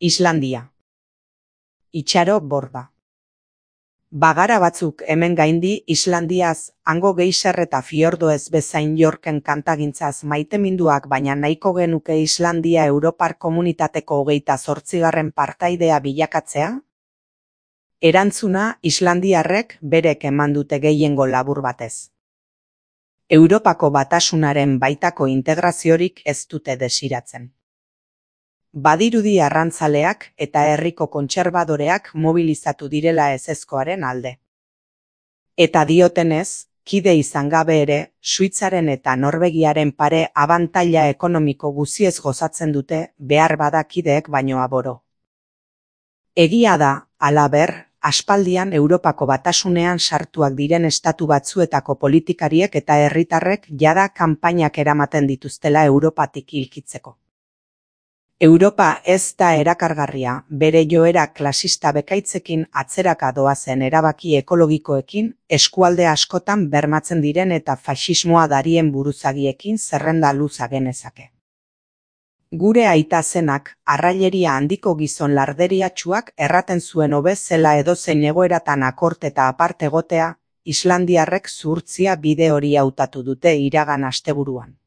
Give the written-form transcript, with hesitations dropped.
Islandia. Itxaro borda. Bagara batzuk hemen gaindi Islandiaz, hango geiser eta fiordoez bezain Yorken kantagintzaz maiteminduak, baina nahiko genuke Islandia Europar Komunitateko 28. partaidea bilakatzea? Erantzuna islandiarrek berek eman dute gehiengo labur batez. Europako Batasunaren baitako integraziorik ez dute desiratzen. Badirudi arrantzaleak eta herriko kontserbadoreak mobilizatu direla ezezkoaren alde. Eta diotenez, kide izan gabe ere, Suitzaren eta Norvegiaren pare abantaila ekonomiko guziez gozatzen dute, behar bada kideek baino aboro. Egia da, halaber, aspaldian Europako Batasunean sartuak diren estatu batzuetako politikariek eta herritarrek jada kanpainak eramaten dituztela Europatik hilkitzeko. Europa ez da erakargarria, bere joera klasista bekaitzekin atzeraka doazen erabaki ekologikoekin, eskualde askotan bermatzen diren eta faxismoa darien buruzagiekin zerrenda luza genezake. Gure aita zenak, arraileria handiko gizon larderiatsuak erraten zuen hobe zela edozein egoeratan akort eta aparte egotea, islandiarrek zuhurtzia bide hori hautatu dute iragan asteburuan.